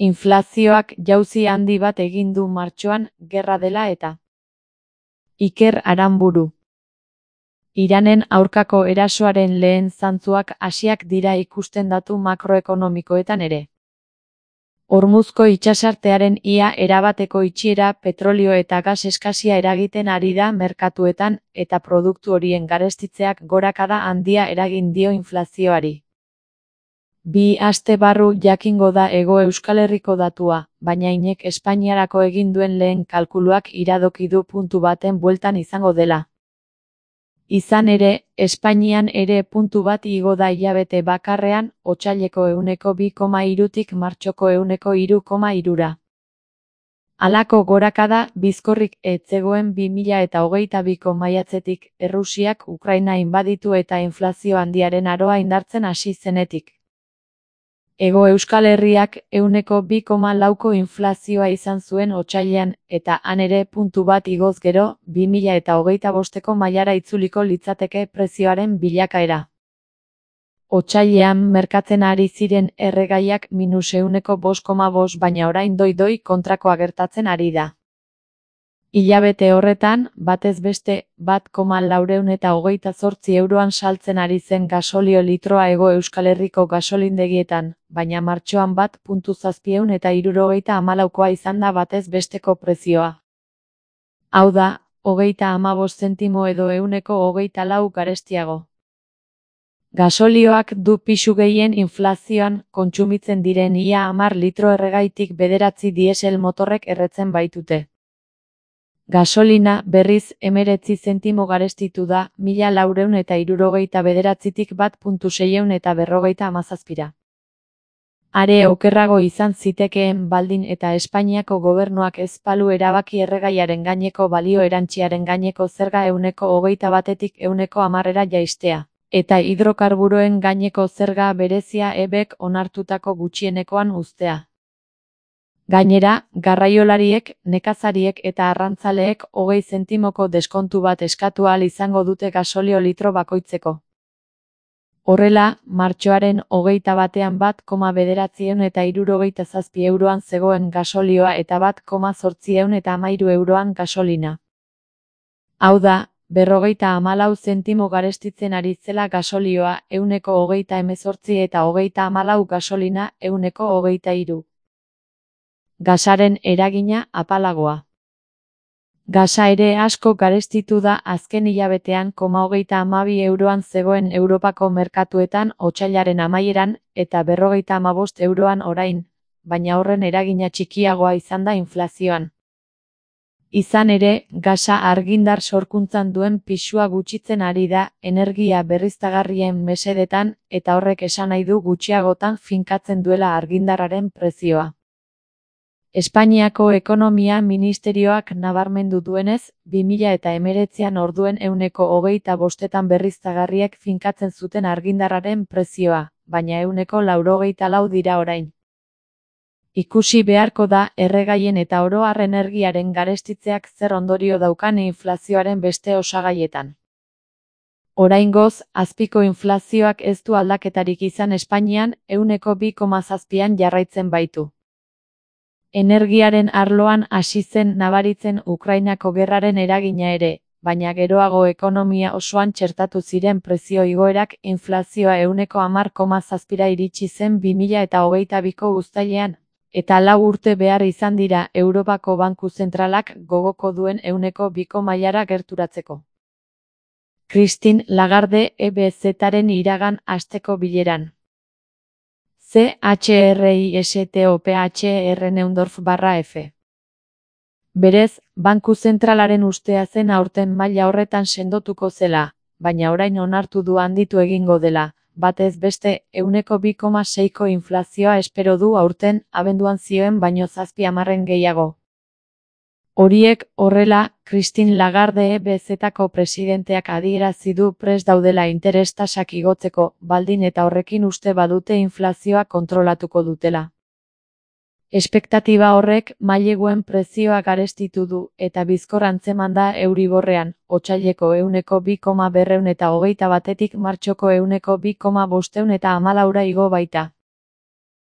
Inflazioak jauzi handi bat egin du martxoan, gerra dela eta. Iker Aranburu. Iranen aurkako erasoaren lehen zantzuak hasiak dira ikusten datu makroekonomikoetan ere. Hormuzko itsasartearen ia erabateko itxiera petrolio eta gas eskasia eragiten ari da merkatuetan eta produktu horien garestitzeak gorakada handia eragin dio inflazioari. 2 aste barru jakingo da Hego Euskal Herriko datua, baina Inek Espainiarako egin duen lehen kalkuluak iradoki du puntu baten bueltan izango dela. Izan ere, Espainian ere puntu bat igo da hilabete bakarrean, otsaileko 2,3tik martxoko 3,3ra. Halako gorakada bizkorrik ez zegoen 2022ko maiatzetik, Errusiak Ukraina inbaditu eta inflazio handiaren aroa indartzen hasi zenetik. Hego Euskal Herriak 2,4ko inflazioa izan zuen otsailean, eta han ere puntu bat igoz gero, 2025ko mailara itzuliko litzateke prezioaren bilakaera. Otsailean merkatzen ari ziren erregaiak -5,5, baina orain doi kontrakoa gertatzen ari da. Hilabete horretan, batez beste, 1,428 euroan saltzen ari zen gasolio litroa Hego Euskal Herriko gasolindegietan, baina martxoan 1,764koa izan da batez besteko prezioa. Hau da, 35 zentimo edo 124 garestiago. Gasolioak du pisu gehien inflazioan, kontsumitzen diren ia 10 litro erregaitik 9 diesel motorrek erretzen baitute. Gasolina, berriz, 19 zentimo garestitu da, 1469tik 1,657ra. Are okerrago izan zitekeen baldin eta Espainiako gobernuak ez balu erabaki erregaiaren gaineko balio erantsiaren gaineko zerga 21tik 110ra jaistea, eta hidrokarburoen gaineko zerga berezia EBEk onartutako gutxienekoan uztea. Gainera, garraiolariek, nekazariek eta arrantzaleek 20 zentimoko deskontu bat eskatu ahal izango dute gasolio litro bakoitzeko. Horrela, martxoaren 21ean 1,967 euroan zegoen gasolioa eta 1,813 euroan gasolina. Hau da, 54 zentimo garestitzen ari zela gasolioa 118 eta 34 gasolina 123. Gasaren eragina apalagoa. Gasa ere asko garestitu da azken hilabetean 32 euroan zegoen Europako merkatuetan otsailaren amaieran eta 55 euroan orain, baina horren eragina txikiagoa izan da inflazioan. Izan ere, gasa argindar sorkuntzan duen pisua gutxitzen ari da energia berriztagarrien mesedetan eta horrek esan nahi du gutxiagotan finkatzen duela argindarraren prezioa. Espainiako Ekonomia Ministerioak nabarmendu duenez, 2019an orduen 125etan berriztagarriek finkatzen zuten argindarraren prezioa, baina 184 dira orain. Ikusi beharko da erregaien eta oro har energiaren garestitzeak zer ondorio daukan inflazioaren beste osagaietan. Oraingoz, azpiko inflazioak ez du aldaketarik izan Espainian, 2,7an jarraitzen baitu. Energiaren arloan hasi zen nabaritzen Ukrainako gerraren eragina ere, baina geroago ekonomia osoan txertatu ziren prezio igoerak inflazioa 10,7ra iritsi zen 2022ko uztailean, eta 4 urte behar izan dira Europako Banku Zentralak gogoko duen 2ko mailara gerturatzeko. Christine Lagarde EBZ-aren iragan asteko bileran. CHRISTOPHR Neundorf/F. Berez, Banku Zentralaren ustea zen aurten maila horretan sendotuko zela, baina orain onartu du handitu egingo dela, batez beste 2,6ko inflazioa espero du aurten, abenduan zioen baino 7 gehiago. Horiek horrela, Christine Lagarde EBZ-ko presidenteak adierazi du prest daudela interes tasak igotzeko, baldin eta horrekin uste badute inflazioa kontrolatuko dutela. Espektatiba horrek maileguen prezioa garestitu du eta bizkor antzeman da Euriborrean, otsaileko 2,221tik martxoko 2,514 igo baita.